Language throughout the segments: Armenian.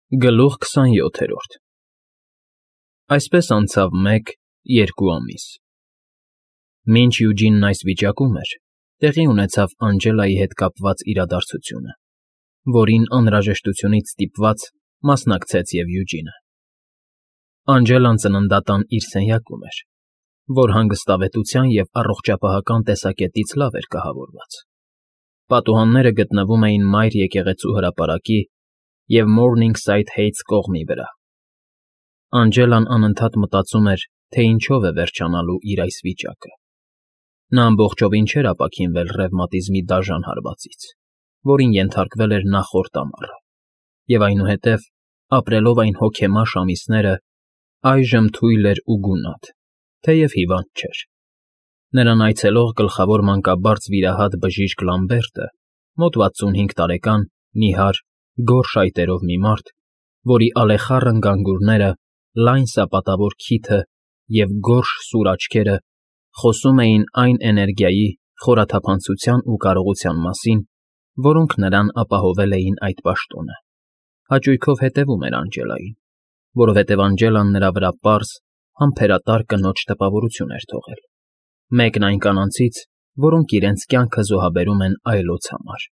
Գլուխ 27 Այսպես անցավ 1-2 ամիս։ Մինչ Յուջինն այս վիճակում էր, տեղի ունեցավ Անջելայի հետ կապված իրադարձությունը, որին անհրաժեշտությունից ստիպված մասնակցեց և Յուջինը։ Անջելան ծննդատան իր սենյակում էր, որ հանգստավետության և առողջապահական տեսակետից լավ էր կահավորված։ Պատուհանները գտնվում էին մայր եկեղեցու հրապարակի և Morningside Heights կողմի վրա։ Անջելան անընդհատ մտածում էր, թե ինչով է վերջանալու իր այս վիճակը։ Նա ամբողջովին չէր ապաքինվել ռևմատիզմի դաժան հարվածից, որին ենթարկվել էր նախորդ ամառը, և այնուհետև, ապրելով այն հոգեմաշ ամիսները, այժմ թույլ էր ու գունատ, թեև հիվանդ չէր։ Նրան այցելող գլխավոր մանկաբարձ վիրահատ բժիշկ Լամբերտը, մոտ 65 տարեկան, նիհար, գոր շայտերով մի մարդ, որի ալեխառն գանգուրները, լայն սապատավոր քիթը և գորշ սուր աչքերը խոսում էին այն էներգիայի, խորաթափանցության ու կարողության մասին, որոնք նրան ապահովել էին այդ պաշտոնը, հաճույքով հետևում էր Անջելային, որովհետև Անջելան նրա վրա պարզ, համբերատար կնոջ տպավորություն էր թողել, մեկն այն կանանցից, որոնք իրենց կյանքը զոհաբերում են այլոց համար։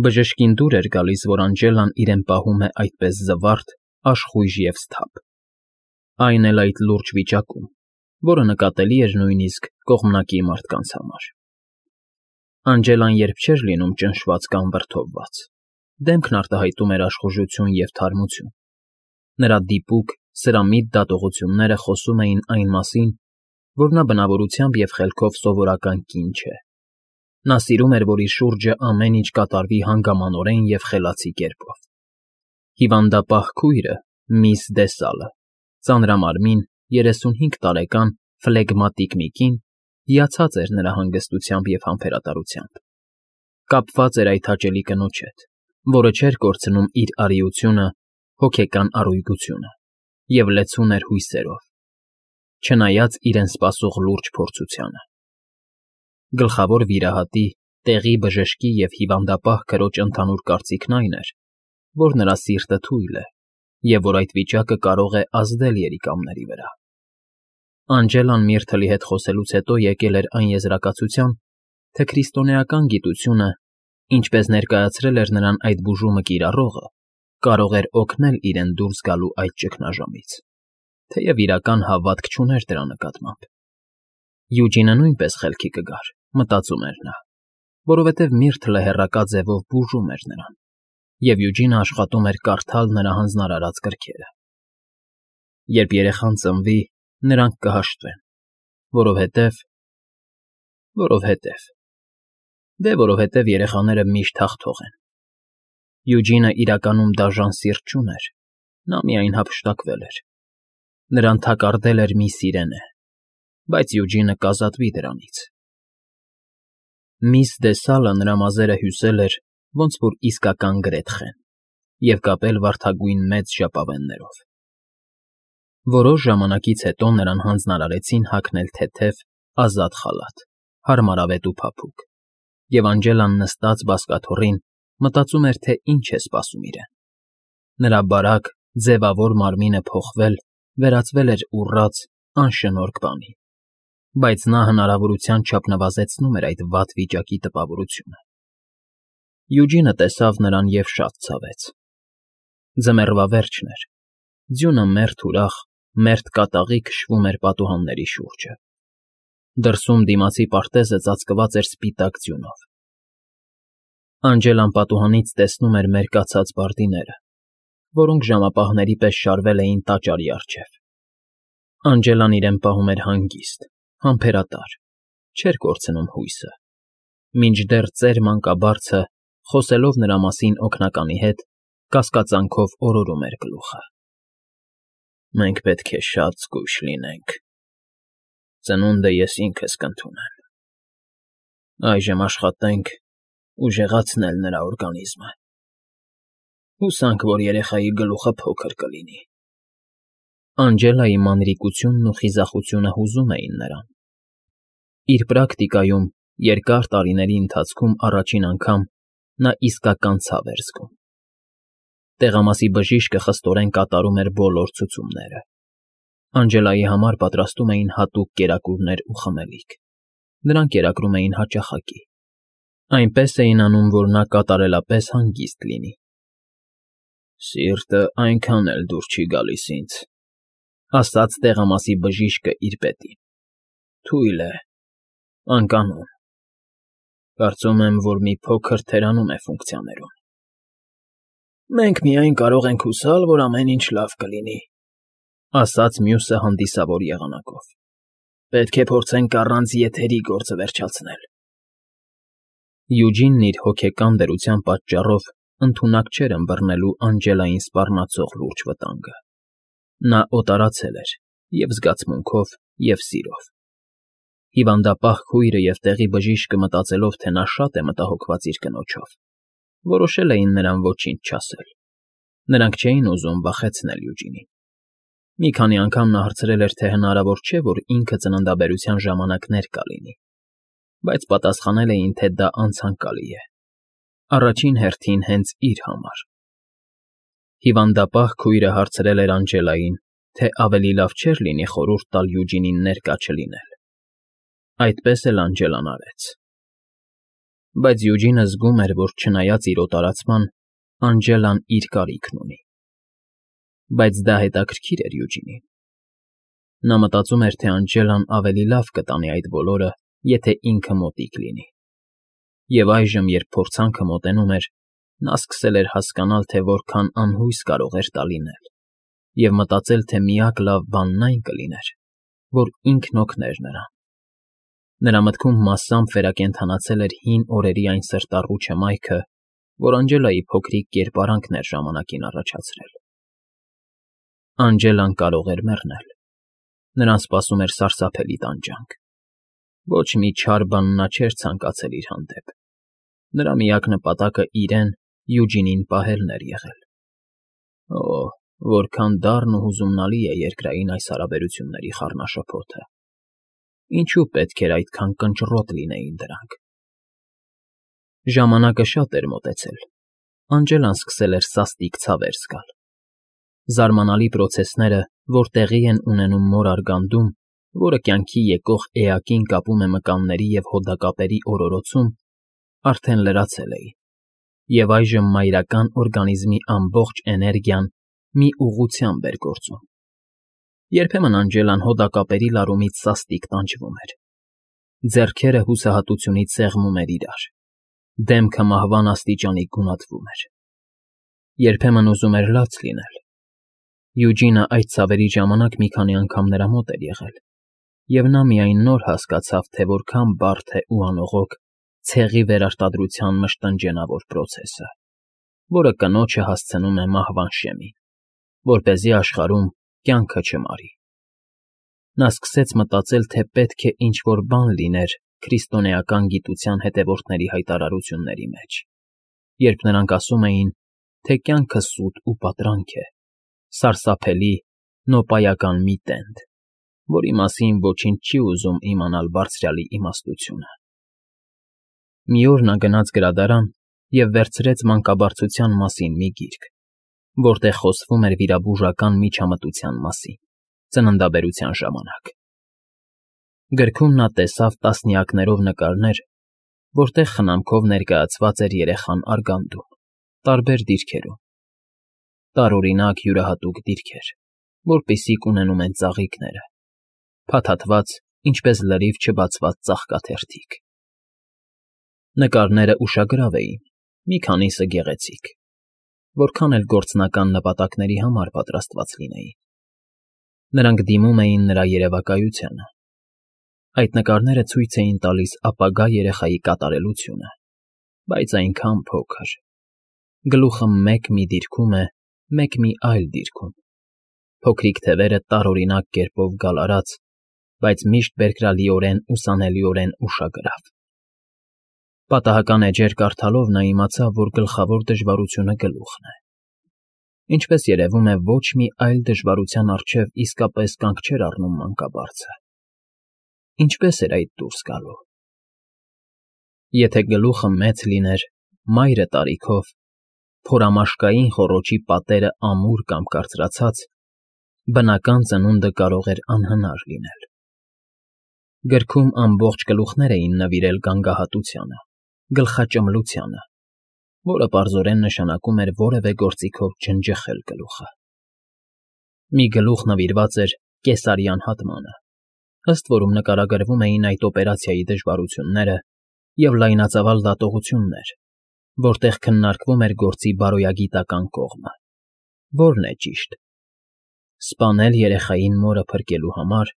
Բժշկին դուր էր գալիս, որ Անջելան իրեն պահում է այդպես զվարթ, աշխույժ և սթափ, այն էլ այդ լուրջ վիճակում, որը նկատելի էր նույնիսկ կողմնակի մարդկանց համար։ Անջելան երբ չէր լինում ճնշված կամ վրդովված, դեմքն արտահայտում էր աշխուժություն և թարմություն։ Նրա դիպուկ, սրամիտ դատողությունները խոսում էին այն մասին, որ նա բնավորությամբ և խելքով սովորական կին չէ։ Նա սիրում էր, որ իր շուրջը ամեն ինչ կատարվի հանգամանորեն և խելացի կերպով։ Հիվանդապահ քույրը, միս Դեսալը, ծանրամարմին, 35 տարեկան, ֆլեգմատիկ մի կին, հիացած էր նրա հանգստությամբ և համբերատարությամբ։ Կապված էր այդ հաճելի կնոջ հետ, որը չէր կորցնում իր արիությունը, հոգեկան առույգությունը և լեցուն էր հույսերով, չնայած իրեն սպասող լուրջ փորձությանը։ Գլխավոր վիրահատի, տեղի բժշկի և հիվանդապահ քրոջ ընդհանուր կարծիքն այն էր, որ նրա սիրտը թույլ է և որ այդ վիճակը կարող է ազդել երիկամների վրա։ Անջելան Միրթլի հետ խոսելուց հետո եկել էր այն եզրակացության, թե քրիստոնեական գիտությունը, ինչպես ներկայացրել էր նրան այդ բուժումը կիրառողը, կարող էր օգնել իրեն դուրս գալու այդ ճգնաժամից, թեև իրական հավատք չուներ դրա նկատմամբ։ Յուջինը նույնպես խելքի կգար, մտածում էր նա, որովհետև Միրթլը հեռակա ձևով բուժում էր նրան, և Յուջինը աշխատում էր կարդալ նրա հանձնարարած գրքերը։ Երբ երեխան ծնվի, նրանք կհաշտվեն, որովհետև երեխաները միշտ հաղթող են։ Յուջինը իրականում դաժան սիրտ չուներ, նա միայն հափշտակվել էր։ Նրան թակարդել էր մի սիրենե, բայց Յուջինը կազատվի դրանից։ Միս Դեսալը նրա մազերը հյուսել էր, ոնց որ իսկական գրեթխեն, և կապել վարդագույն մեծ ժապավեններով։ Որոշ ժամանակից հետո նրան հանձնարարեցին հագնել թեթև, ազատ խալաթ, հարմարավետ ու փափուկ, և Անջելան նստած բազկաթոռին մտածում էր, թե ինչ է սպասում իրեն։ Նրա բարակ, ձևավոր մարմինը փոխվել, վերածվել էր ուռած, անշնորհք բանի, բայց նա հնարավորության չափ նվազեցնում էր այդ վատ վիճակի տպավորությունը։ Յուջինը տեսավ նրան և շատ ցավեց։ Ձմեռվա վերջն էր, ձյունը մերթ ուրախ, մերթ կատաղի քշվում էր պատուհանների շուրջը։ Դրսում դիմացի պարտեզը ծածկված էր սպիտակ ձյունով։ Անջելան պատուհանից տեսնում էր մերկացած բարդիները, որոնք ժամապահների պես շարվել էին տաճարի առջև։ Անջելան իրեն պահում էր հանգիստ, համբերատար, չէր կորցնում հույսը, մինչդեռ ծեր մանկաբարձը, խոսելով նրա մասին օգնականի հետ, կասկածանքով օրորում էր գլուխը։ Մենք պետք է շատ զգույշ լինենք։ Ծնունդը ես ինքս կընդունեմ։ Այժմ աշխատենք ուժեղացնել նրա օրգանիզմը։ Հուսանք, որ երեխայի գլուխը փոքր կլինի։ Անջելայի մանրիկությունն ու խիզախությունը հուզում էին նրան։ Իր պրակտիկայում երկար տարիների ընթացքում առաջին անգամ նա իսկական ցավ էր զգում։ Տեղամասի բժիշկը խստորեն կատարում էր բոլոր ցուցումները։ Անջելայի համար պատրաստում էին հատուկ կերակուրներ ու խմելիք։ Նրանք կերակրում էին հաճախակի։ Այնպես էին անում, որ նա կատարելապես հանգիստ լինի։ Սիրտը այնքան էլ դուր չի գալիս ինձ, ասաց տեղամասի բժիշկը իր պետին։ Թույլ է, անկանոն։ Կարծում եմ, որ մի փոքր թերանում է ֆունկցիաներում։ Մենք միայն կարող ենք հուսալ, որ ամեն ինչ լավ կլինի, ասաց մյուսը հանդիսավոր եղանակով։ Պետք է փորձենք առանց եթերի գործը վերջացնել։ Յուջինն իր հոգեկան դրության պատճառով ընդունակ չէր ըմբռնելու Անջելային սպառնացող լուրջ վտանգը։ Նա օտարացել էր և զգացմունքով, և սիրով։ Հիվանդապահ քույրը և տեղի բժիշկը մտածելով, թե նա շատ է մտահոգված իր կնոջով, որոշել էին նրան ոչինչ չասել։ Նրանք չէին ուզում վախեցնել Յուջինին։ Մի քանի անգամ նա հարցրել էր, թե հնարավոր չէ, որ ինքը ծննդաբերության ժամանակ ներկա լինի, բայց պատասխանել էին, թե դա անցանկալի է։ Առաջին հերթին հենց իր համար։ Հիվանդապահ քույրը հարցրել էր Անջելային, թե ավելի լավ չէր լինի խորհուրդ տալ Յուջինին ներկա չլինել։ Այդպես էլ Անջելան արեց։ Բայց Յուջինը զգում էր, որ չնայած իր օտարացման, Անջելան իր կարիքն ունի։ Բայց դա հետաքրքիր էր Յուջինին։ Նա մտածում էր, թե Անջելան ավելի լավ կտանի այդ բոլորը, եթե ինքը մոտիկ լինի։ Եվ այժմ, երբ փորձանքը մոտենում էր, նա սկսել էր հասկանալ, թե որքան անհույս կարող էր դա լինել, և մտածել, թե միակ լավ բանն այն կլիներ, որ ինքն օգներ նրան։ Նրա մտքում մասամբ վերակենդանացել էր հին օրերի այն սրտառու չմայքը, որ Անջելայի փոքրիկ կերպարանքն էր ժամանակին առաջացրել։ Անջելան կարող էր մեռնել։ Նրան սպասում էր սարսափելի տանջանք։ Ոչ մի չար բան նա չէր ցանկացել իր հանդեպ։ Նրա միակ նպատակը իրեն, Յուջինին պահելն էր եղել։ Օ, որքան դառն ու հուզումնալի է երկրային այս հարաբերությունների խառնաշփոթը։ Ինչու պետք էր այդքան կնճռոտ լինեին դրանք։ Ժամանակը շատ էր մոտեցել։ Անջելան սկսել էր սաստիկ ցավեր զգալ։ Զարմանալի պրոցեսները, որ տեղի են ունենում մոր արգանդում, որը կյանքի եկող էակին կապում է մկանների և հոդակապերի օրորոցում, արդեն լրացել էին, և այժմ մայրական օրգանիզմի ամբողջ էներգիան մի ուղղությամբ էր գործում։ Երբեմն Անջելան հոդակապերի լարումից սաստիկ տանջվում էր։ Ձեռքերը հուսահատությունից սեղմում էր իրար։ Դեմքը մահվան աստիճանի գունատվում էր։ Երբեմն ուզում էր լաց լինել։ Յուջինը այդ ցավերի ժամանակ մի քանի անգամ նրա մոտ էր եղել, և նա միայն նոր հասկացավ, թե որքան բարդ է ու անողոք ցեղի վերարտադրության մշտնջենավոր պրոցեսը, որը կնոջը հասցնում է մահվան շեմին, որպեսզի աշխարհում կյանքը չմարի։ Նա սկսեց մտածել, թե պետք է ինչ-որ բան լիներ քրիստոնեական գիտության հետևորդների հայտարարությունների մեջ, երբ նրանք ասում էին, թե կյանքը սուտ ու պատրանք է, սարսափելի, նոպայական մի տենդ, որի մասին ոչինչ չի ուզում իմանալ Բարձրյալի իմաստությունը։ Մի օր նա գնաց գրադարան և վերցրեց մանկաբարձության մասին մի գիրք, որտեղ խոսվում էր վիրաբուժական միջամտության մասին, ծննդաբերության ժամանակ։ Գրքում նա տեսավ տասնյակներով նկարներ, որտեղ խնամքով ներկայացված էր երեխան արգանդում, տարբեր դիրքերում։ Տարօրինակ յուրահատուկ դիրքեր, որպիսիք ունենում են ծաղիկները, փաթաթված, ինչպես լրիվ չբացված ծաղկաթերթիկ։ Նկարները ուշագրավ էին, մի քանիսը գեղեցիկ, որքան էլ գործնական նպատակների համար պատրաստված լինեին։ Նրանք դիմում էին նրա երևակայությանը։ Այդ նկարները ցույց էին տալիս ապագա երեխայի կատարելությունը, բայց այնքան փոքր։ Գլուխը մեկ մի դիրքում է, մեկ մի այլ դիրքում։ Փոքրիկ թևերը տարօրինակ կերպով գալարած, բայց միշտ բերկրալիորեն ուսանելիորեն ուշագրավ։ Պատահական էջեր կարդալով նա իմացավ, որ գլխավոր դժվարությունը գլուխն է։ Ինչպես երևում է, ոչ մի այլ դժվարության առջև իսկապես կանգ չէր առնում մանկաբարձը։ Ինչպես էր այդ դուրս գալու։ Եթե գլուխը մեծ լիներ, մայրը տարիքով, փորամաշկային խոռոչի պատերը ամուր կամ կարծրացած, բնական ծնունդը կարող էր անհնար լինել։ Գրքում ամբողջ գլուխներ էին նվիրել գանգահատությանը, գլխաճմլությանը, որը պարզորեն նշանակում էր որևէ գործիքով ջնջխել գլուխը։ Մի գլուխ նվիրված էր կեսարյան հատմանը, ըստ որում նկարագրվում էին այդ օպերացիայի դժվարությունները և լայնածավալ դատողություններ, որտեղ քննարկվում էր գործի բարոյագիտական կողմը, որն է ճիշտ՝ սպանել երեխային մորը փրկելու համար,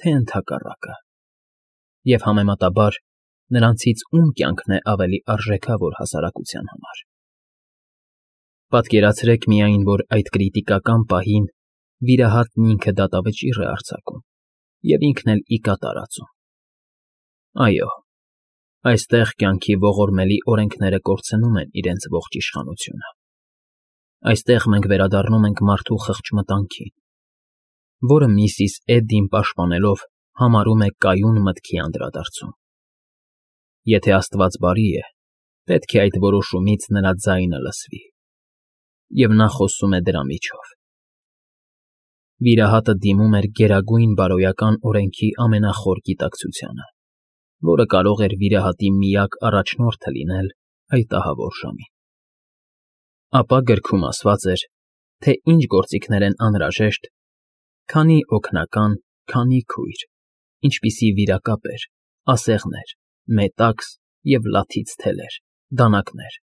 թե ընդհակառակը, և համեմատաբար նրանցից ում կյանքն է ավելի արժեքավոր հասարակության համար։ Պատկերացրեք միայն, որ այդ կրիտիկական պահին վիրահատն ինքը դատավճիռ է արձակում և ինքն էլ ի կատար ածում։ Այո, այստեղ կյանքի ողորմելի օրենքները կորցնում են իրենց ողջ իշխանությունը։ Այստեղ մենք վերադառնում ենք մարդու խղճ մտանքին, որը միսիս Էդդին պաշտպանելով համարում է կայուն մտքի անդրադարձում։ Եթե Աստված բարի է, պետք է այդ որոշումից նրա ձայնը լսվի, և նա խոսում է դրա միջով։ Վիրահատը դիմում էր գերագույն բարոյական օրենքի ամենախոր գիտակցությանը, որը կարող էր վիրահատի միակ առաջնորդը լինել այդ ահավոր ժամին։ Ապա գրքում ասված էր, թե ինչ գործիքներ են անհրաժեշտ, քանի օգնական, քանի քույր, ինչպիսի վիրակապեր, ասեղներ, մետաքս և լաթից թելեր, դանակներ,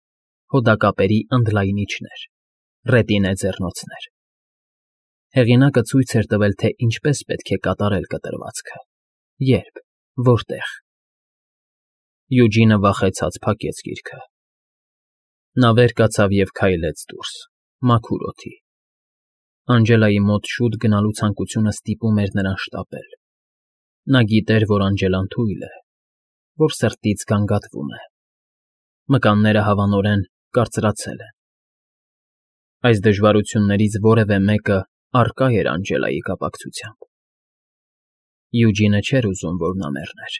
հոդակապերի ընդլայնիչներ, ռետինե ձեռնոցներ։ Հեղինակը ցույց էր տվել, թե ինչպես պետք է կատարել կտրվածքը, երբ, որտեղ։ Յուջինը վախեցած փակեց գիրքը։ Նա վեր կացավ և քայլեց դուրս, մաքուր օդի։ Անջելայի մոտ շուտ գնալու ցանկությունը ստիպում էր նրան շտապել։ Նա գիտեր, որ Անջելան թույլ է, որ սրտից գանգատվում է։ Մկանները հավանորեն կարծրացել են։ Այս դժվարություններից որևէ մեկը առկա էր Անջելայի կապակցությամբ։ Յուջինը չէր ուզում, որ նա մեռներ։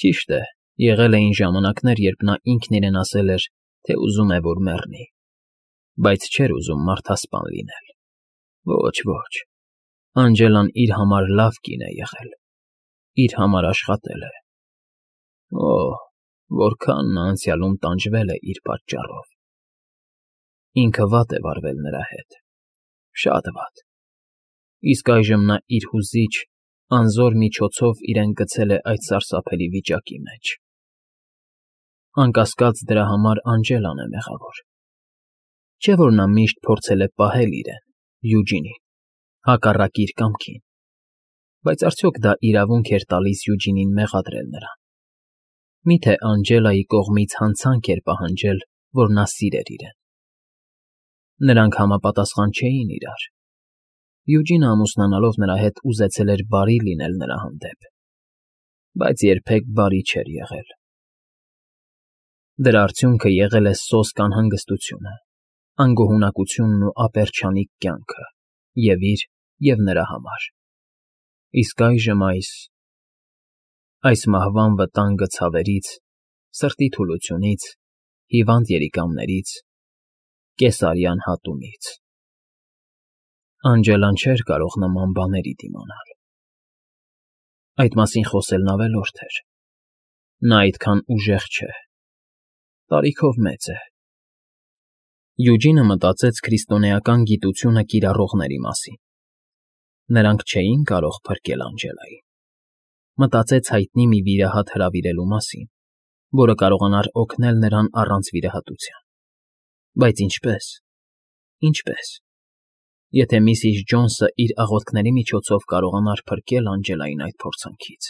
Ճիշտ է, եղել էին ժամանակներ, երբ նա ինքն իրեն ասել էր, թե ուզում է, որ մեռնի, բայց չէր ուզում մարդասպան լինել։ Ոչ, ոչ, Անջելան իր համար լավ կին է եղել, իր համար աշխատել է։ Օհ, որքան նա անցյալում տանջվել է իր պատճառով։ Ինքը վատ է վարվել նրա հետ, շատ վատ, իսկ այժմ նա իր հուզիչ, անզոր միջոցով իրեն գցել է այդ սարսափելի վիճակի մեջ։ Անկասկած դրա համար Անջելան է մեղավոր։ Չէ՞ որ նա միշտ փորձել է պահել իրեն, Յուջինին, հակառակ իր կամքին, բայց արդյոք դա իրավունք էր տալիս Յուջինին մեղադրել նրան։ Միթե Անջելայի կողմից հանցանք էր պահանջել, որ նա սիրեր իրեն։ Նրանք համապատասխան չէին իրար։ Յուջինը ամուսնանալով նրա հետ ուզեցել էր բարի լինել նրա հանդեպ, բայց երբեք բարի չէր եղել։ Դրա արդյունքը եղել է սոսկ անհանգստությունը, անգոհունակությունն ու ապերչանիկ կյանքը և իր, և նրա համար։ Իսկ այժմ այս մահվան վտանգը ցավերից, սրտի թուլությունից, հիվանդ երիկամներից, կեսարյան հատումից։ Անջելան չէր կարող նման բաների դիմանալ։ Այդ մասին խոսելն ավելորդ էր։ Նա այդքան ուժեղ չէ, տարիքով մեծ է։ Յուջինը մտածեց քրիստոնեական գիտությունը կիրառողների մասին։ Նրանք չէին կարող փրկել Անջելային։ Մտածեց հայտնի մի վիրահատ հրավիրելու մասին, որը կարողանար օգնել նրան առանց վիրահատության։ Բայց ինչպե՞ս։ Ինչպե՞ս։ Եթե միսիս Ջոնսը իր աղոթքների միջոցով կարողանար փրկել Անջելային այդ փորձանքից,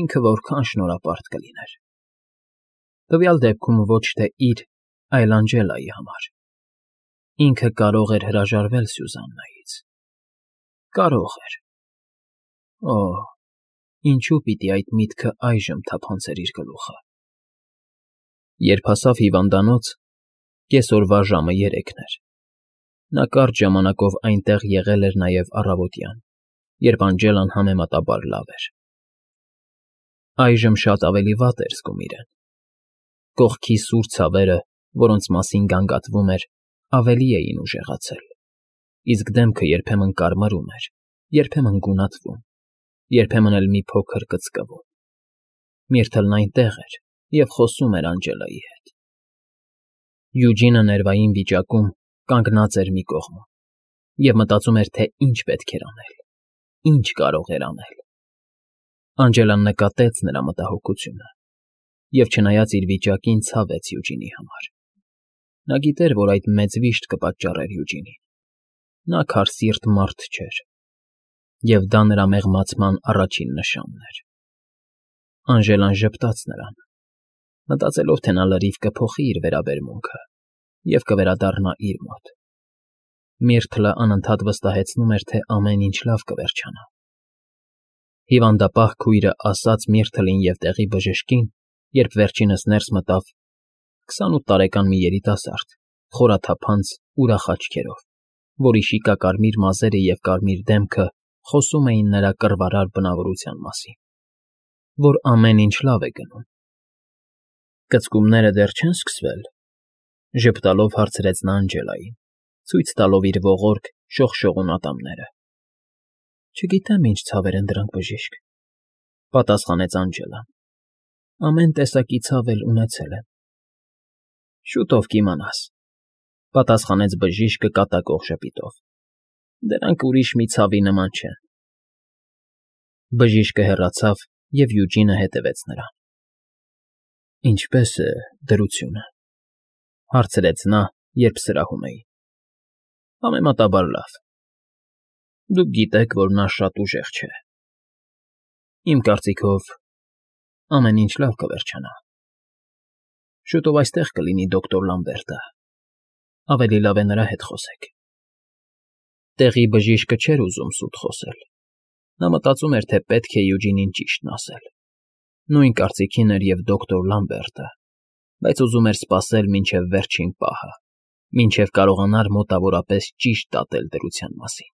ինքը որքան շնորհապարտ կլիներ։ Տվյալ դեպքում ոչ թե իր, այլ Անջելայի համար։ Ինքը կարող էր հրաժարվել Սյուզաննայից։ Կարող էր։ Օհ, ինչու պիտի այդ միտքը այժմ թափանցեր իր գլուխը։ Երբ հասավ հիվանդանոց, կեսօրվա ժամը 3-ն էր։ Նա կարճ ժամանակով այնտեղ եղել էր նաև առավոտյան, երբ Անջելան համեմատաբար լավ էր։ Այժմ շատ ավելի վատ էր զգում իրեն։ Կողքի սուր ցավերը որոնց մասին գանգատվում էր, ավելի էին ուժեղացել, իսկ դեմքը երբեմն կարմրում էր, երբեմն գունատվում, երբեմն էլ մի փոքր կծկվում։ Միրթլն այնտեղ էր և խոսում էր Անջելայի հետ։ Յուջինը ներվային վիճակում կանգնած էր մի կողմում և մտածում էր, թե ինչ պետք էր անել, ինչ կարող էր անել։ Անջելան նկատեց նրա մտահոգությունը և, չնայած իր վիճակին, ցավեց Յուջինի համար։ Նա գիտեր, որ այդ մեծ վիշտ կպատճառեր Յուջինին։ Նա քարսիրտ մարդ չէր, և դա նրա մեղմացման առաջին նշանն էր։ Անժելան ժպտաց նրան, մտածելով, թե նա լրիվ կփոխի իր վերաբերմունքը և կվերադառնա իր մոտ։ Միրթլը անընդհատ վստահեցնում էր, թե ամեն ինչ լավ կվերջանա։ Հիվանդապահ քույրը ասաց Միրթլին և տեղի բժշկին, երբ վերջինս ներս մտավ, 28 տարեկան մի երիտասարդ, խորաթափանց, ուրախ աչքերով, որի շիկակարմիր մազերը և կարմիր դեմքը խոսում էին նրա կռվարար բնավորության մասին, որ ամեն ինչ լավ է գնում։ Կծկումները դեռ չեն սկսվել, ժպտալով հարցրեց նա Անջելային, ցույց տալով իր ողորկ, շողշողուն ատամները։ Չգիտեմ ինչ ցավեր են դրանք, բժիշկ, պատասխանեց Անջելան։ Ամեն տեսակի ցավ էլ ունեցել եմ։ Շուտով կիմանաս, պատասխանեց բժիշկը կատակող ժպիտով։ Դրանք ուրիշ մի ցավի նման չեն։ Բժիշկը հեռացավ, և Յուջինը հետևեց նրան։ Ինչպե՞ս է դրությունը, հարցրեց նա, երբ սրահում էին։ Համեմատաբար լավ։ Դուք գիտեք, որ նա շատ ուժեղ չէ։ Իմ կարծիքով, ամեն ինչ լավ կվերջանա։ Շուտով այստեղ կլինի դոկտոր Լամբերտը, ավելի լավ է նրա հետ խոսեք։ Տեղի բժիշկը չէր ուզում սուտ խոսել։ Նա մտածում էր, թե պետք է Յուջինին ճիշտն ասել։ Նույն կարծիքին էր և դոկտոր Լամբերտը, բայց ուզում էր սպասել մինչև վերջին պահը, մինչև կարողանար մոտավորապես ճիշտ դատել դրության մասին։